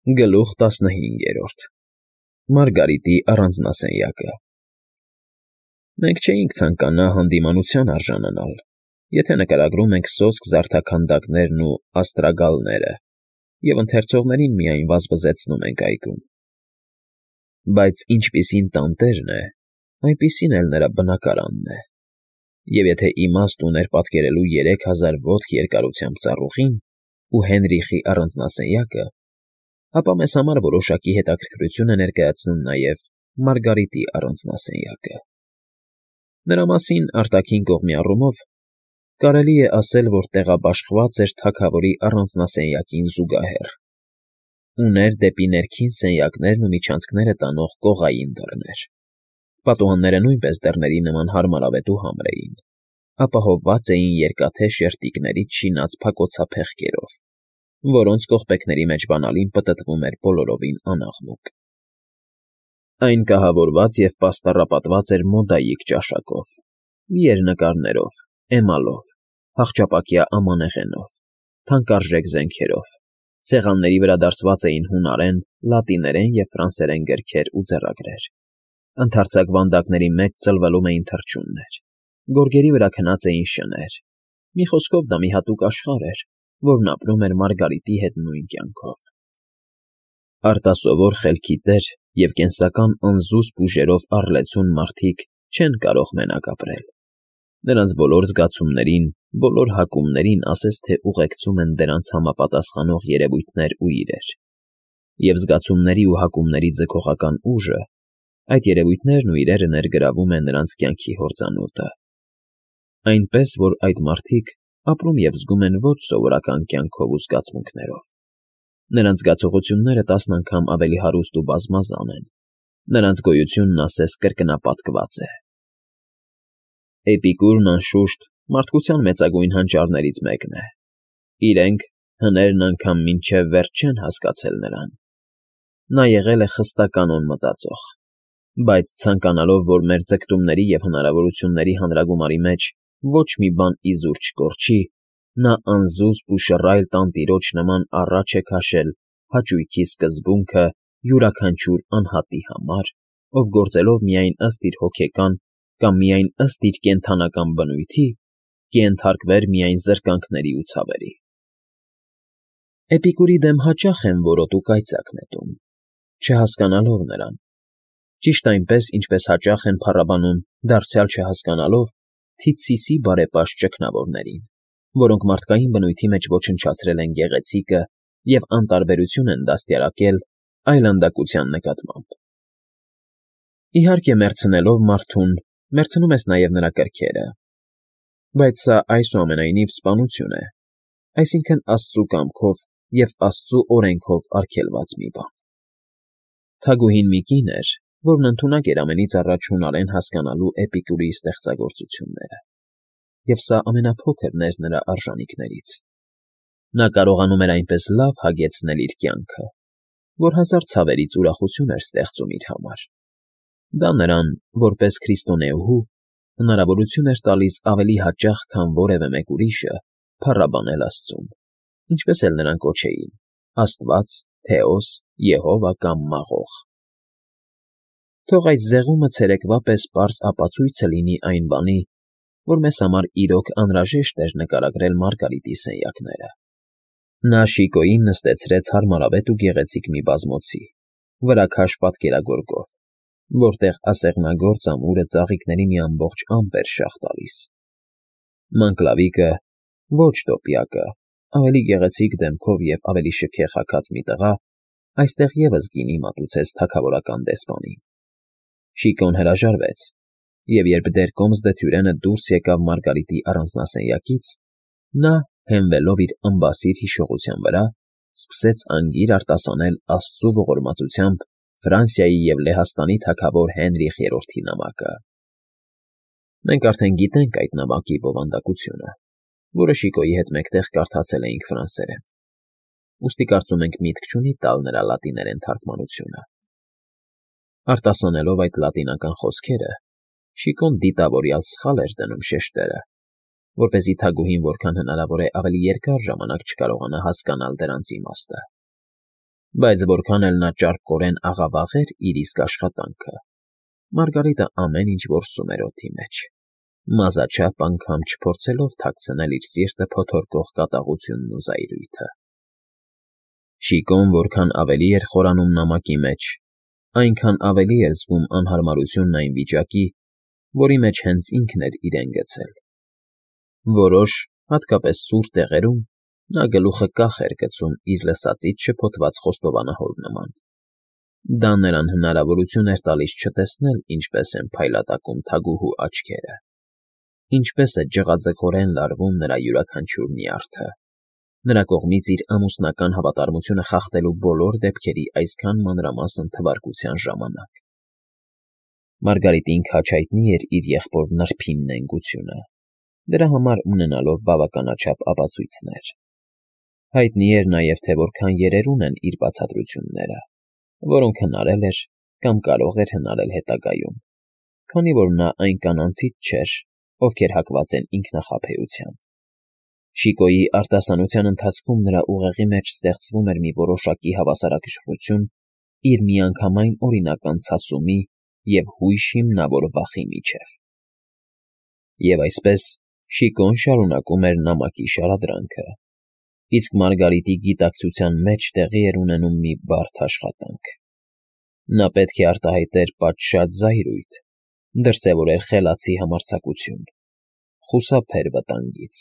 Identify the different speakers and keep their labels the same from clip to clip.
Speaker 1: Գլուխ 15 Մարգարիտի առանձնասենյակը Մենք չէինք ցանկանա հանդիմանության արժանանալ, եթե նկարագրում ենք սոսկ զարդաքանդակներն ու աստրագալները և ընթերցողներին միայն վազվզեցնում ենք այգում։ Բայց ինչպիսին տանտերն է, այնպիսին էլ նրա բնակարանն է, և եթե իմաստ ուներ պատկերելու 3000 ոտք երկարությամբ ծառուղին ու Հենրիխի առանձնասենյակը, ապա մեզ համար որոշակի հետաքրքրություն է ներկայացնում նաև Մարգարիտի առանձնասենյակը։ Նրա մասին արտաքին կողմի առումով կարելի է ասել, որ տեղաբաշխված էր թագավորի առանձնասենյակին զուգահեռ, ուներ դեպի ներքին սենյակներն ու միջանցքները տանող կողային դռներ, պատուհանները նույնպես դռների նման հարմարավետ ու համր էին, ապահովված էին երկաթե շերտիկներից շինած փակոցափեղկերով, որոնց կողպեքների մեջ բանալին պտտվում էր բոլորովին անաղմուկ։ Այն կահավորված և պաստառապատված էր մոդայիկ ճաշակով, ելնկարներով, էմալով, հախճապակյա ամանեղենով, թանկարժեք զենքերով, սեղանների վրա դարսված էին հունարեն, լատիներեն և ֆրանսերեն գրքեր ու ձեռագրեր, ընդարձակ վանդակների մեջ ծլվելում էին թռչուններ, գորգերի վրա քնած էին շներ, մի խոսքով դա մի հատուկ աշխարհ էր, որն ապրում էր Մարգարիտի հետ նույն կյանքով։ Արտասովոր խելքի տեր և կենսական անզուսպ ուժերով առլեցուն մարդիկ չեն կարող մենակ ապրել։ Նրանց բոլոր զգացումներին, բոլոր հակումներին ասես թե ուղեկցում են դրանց համապատասխանող երևույթներ ու իրեր, և զգացումների ու հակումների ձգողական ուժը, այդ երևույթներն ու իրերը ներգրավում է նրանց կյանքի հորձանուտը։ Այնպես, որ այդ մարդիկ ապրում և զգում են ոչ սովորական կյանքով ու զգացմունքներով։ Նրանց զգացողությունները 10 անգամ ավելի հարուստ ու բազմազան են, նրանց գոյությունն ասես կրկնապատկված է։ Էպիկուրն, անշուշտ, մարդկության մեծագույն հանճարներից մեկն է։ Իրենք, հներն անգամ մինչև վերջ չեն հասկացել նրան։ Նա եղել է խստականոն մտածող, բայց ցանկանալով, որ մեր ձգտումների և հնարավորությունների հանրագումարի մեջ ոչ մի բան իզուր չկորչի, նա անզուսպ ու շռայլ տանտիրոջ նման առաջ է քաշել հաճույքի սկզբունքը յուրաքանչյուր անհատի համար, ով գործելով միայն ըստ իր հոգեկան կամ միայն ըստ իր կենդանական բնույթի, կենթարկվեր միայն զրկանքների ու ցավերի։ Էպիկուրի դեմ հաճախ եմ որոտ ու կայծակ նետում, չհասկանալով նրան, ճիշտ այնպես, ինչպես հաճախ են փառաբանում, դարձյալ չհասկանալով, Թիցիսի բարեպաշտ ճգնավորներին, որոնք մարդկային բնույթի մեջ ոչնչացրել են գեղեցիկը և անտարբերություն են դաստիարակել այլանդակության նկատմամբ։ Իհարկե, մեռցնելով մարդուն, մեռցնում ես նաև նրա կրքերը, բայց սա այսուամենայնիվ սպանություն է, այսինքն Աստծու կամքով և Աստծու օրենքով արգելված մի բան։ Թագուհին մի կին էր, որն ընդունակ էր ամենից առաջ հունարեն հասկանալու Էպիկուրի ստեղծագործությունները, և սա ամենափոքրն էր նրա արժանիքներից։ Նա կարողանում էր այնպես լավ հագեցնել իր կյանքը, որ հազար ցավերից ուրախություն էր ստեղծում իր համար։ Դա նրան, որպես քրիստոնեուհու, հնարավորություն էր տալիս ավելի հաճախ, քան որևէ մեկ ուրիշը, փառաբանել Աստծուն, ինչպես էլ նրան կոչեին՝ Աստված, Թեոս, Եհովա կամ Մաղող։ Թող այդ զեղումը ցերեկվա պես պարզ ապացույցը լինի այն բանի, որ մեզ համար իրոք անհրաժեշտ էր նկարագրել Մարգարիտի սենյակները։ Նա շիկոյին նստեցրեց հարմարավետ ու գեղեցիկ մի բազմոցի, վրա քաշ պատկերագորգով, որտեղ ասեղնագործ ամուրը ծաղիկների մի ամբողջ ամպ էր շաղ տալիս։ Մանկլավիկը, ոչ տոպիակը, ավելի գեղեցիկ դեմքով և ավելի շքեղ հագած մի տղա, այստեղ ևս գինի մատուցեց թագավորական դեսպանին։ Շիկոն հրաժարվեց, և երբ դեռ կոմսդթյուրենը դուրս եկավ Մարգարիտի առանձնասենյակից, նա, հենվելով իր ըմբասիր հիշողության վրա, սկսեց անգիր արտասանել Աստծու ողորմածությամբ Ֆրանսիայի և Լեհաստանի թագավոր Հենրիխ III նամակը։ Մենք արդեն գիտենք այդ նամակի բովանդակությունը, որը Շիկոյի հետ մեկտեղ կարդացել էինք ֆրանսերեն, ուստի կարծում ենք միտք չունի տալ նրա լատիներեն թարգմանությունը։ Արտասանելով այդ լատինական խոսքերը, Շիկոն դիտավորյալ սխալ էր դնում շեշտերը, որպեսզի թագուհին որքան հնարավոր է ավելի երկար ժամանակ չկարողանա հասկանալ դրանց իմաստը։ Բայց որքան էլ նա ճարպկորեն աղավաղեր իր իսկ աշխատանքը, Մարգարիտը ամեն ինչ որսում էր օդի մեջ, մազաչափ անգամ չփորձելով թաքցնել իր սիրտը փոթորկող կատաղությունն ու զայրույթը։ Շիկոն որքան ավելի էր խորանում նամակի մեջ, այնքան ավելի էր զգում անհարմարությունն այն վիճակի, որի մեջ հենց ինքն էր իրեն գցել։ Որոշ, հատկապես սուր տեղերում, նա գլուխը կախ էր գցում իր լսածից շփոթված խոստովանահոր նման։ Դա նրան հնարավորություն էր տալիս չտեսնել ինչպես են փայլատակում թագուհու աչքերը, ինչպես է ջղաձգորեն լարվում նրա յուրաքանչյուր նյարդը, նրա կողմից իր ամուսնական հավատարմությունը խախտելու բոլոր դեպքերի այսքան մանրամասն թվարկության ժամանակ։ Մարգարիտին քաջ հայտնի էր իր եղբոր նրբին նենգությունը, դրա համար ունենալով բավականաչափ ապացույցներ։ Հայտնի էր նաև, թե որքան երերուն են իր բացատրությունները, որոնք հնարել էր կամ կարող էր հնարել հետագայում, քանի որ նա այն կանանցից չէր, ովքեր հակված են ինքնախաբեության։ Շիկոյի արտասանության ընթացքում նրա ուղեղի մեջ ստեղծվում էր մի որոշակի հավասարակշռություն իր միանգամայն օրինական ցասումի և հույժ հիմնավոր վախի միջև։ Եվ այսպես Շիկոն շարունակում էր նամակի շարադրանքը, իսկ Մարգարիտի գիտակցության մեջ տեղի էր ունենում մի բարդ աշխատանք։ Նա պետք է արտահայտեր պատշաճ զայրույթ, դրսևորեր խելացի համարձակություն, խուսափեր վտանգից,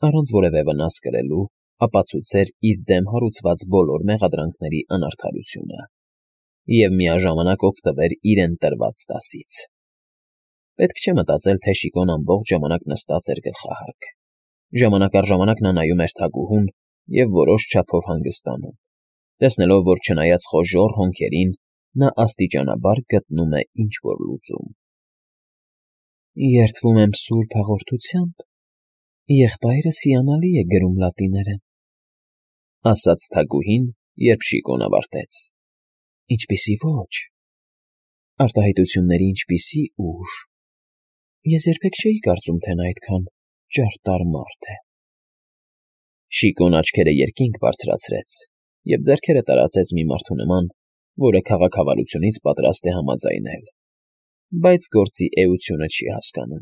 Speaker 1: առանց որևէ վնաս կրելու ապացուցեր իր դեմ հարուցված բոլոր մեղադրանքների անարդարությունը և միաժամանակ օգտվեր իրեն տրված դասից։ Պետք չէ մտածել, թե Շիկոն ամբողջ ժամանակ նստած էր գլխահակ։ Ժամանակ առ ժամանակ նա նայում էր թագուհուն և որոշ չափով հանգստանում, տեսնելով, որ չնայած խոժոռ հոնքերին, նա աստիճանաբար գտնում է ինչ-որ լուծում։ Երդվում եմ սուրբ հաղորդությամբ, եղբայրս հիանալի է գրում լատիներեն, ասաց թագուհին, երբ Շիկոն ավարտեց։ Ինչպիսի ոչ, արտահայտությունների ինչպիսի ուժ։ Ես երբեք չէի կարծում, թե նա այդքան ճարտար մարդ է։ Շիկոն աչքերը երկինք բարձրացրեց և ձեռքերը տարածեց մի մարդու նման, որը քաղաքավարությունից պատրաստ է համաձայնել, բայց գործի էությունը չի հասկանում։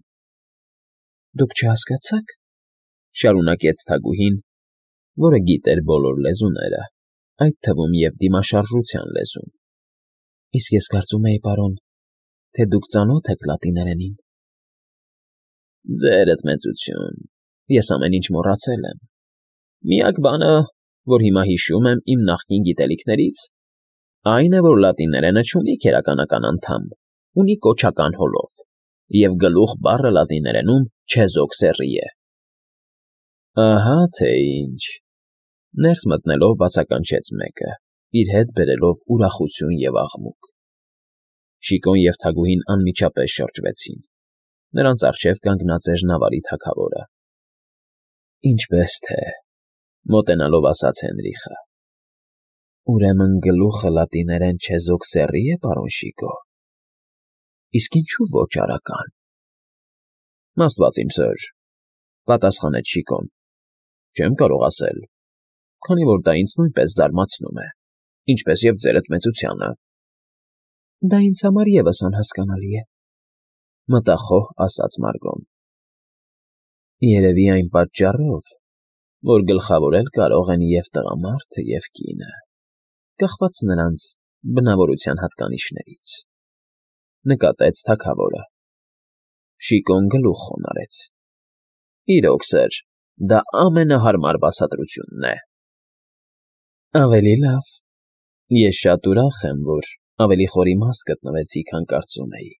Speaker 1: Դուք չհասկացաք, շարունակեց թագուհին, որը գիտեր բոլոր լեզուները, այդ թվում և դիմաշարժության լեզուն։ Իսկ ես կարծում էի, պարոն, թե դուք ծանոթ եք լատիներենին։ Ձերդ մեծություն, ես ամեն ինչ մոռացել եմ։ Միակ բանը, որ հիմա հիշում եմ իմ նախկին գիտելիքներից, այն է, որ լատիներենը չունի քերականական անդամ, ունի կոչական հոլով, և գլուխ բառը լատիներենում չեզոքսերի է։ Ահա թե ինչ, ներս մտնելով բացականչեց մեկը, իր հետ բերելով ուրախություն և աղմուկ։ Շիկոն և թագուհին անմիջապես շրջվեցին։ Նրանց առջև կանգնած էր նավարի թագավորը։ Ինչպես թե, մոտենալով ասաց Հենրիխը։ Ուրեմն գլուխը լատիներեն չեզոքսերի է, պարոն Շիկո։ Իսկ ինչու ոչ արական։ Աստված իմ սըր, պատասխանեց Շիկոն։ Չեմ կարող ասել, քանի որ դա ինձ նույնպես զարմացնում է, ինչպես և ձերդ մեծությանը։ Դա ինձ համար ևս անհասկանալի է, մտախոհ ասաց Մարգոն։ Երևի այն պատճառով, որ գլխավորել կարող են և տղամարդը, և կինը, կախված նրանց բնավորության հատկանիշներից, նկատեց թագավորը։ Շիկոն գլուխ խոնարհեց։ Իրոք, սըր, դա ամենահարմար բացատրությունն է։ Ավելի լավ, ես շատ ուրախ եմ, որ ավելի խոր իմաստ գտնվեցի, քան կարծում էի։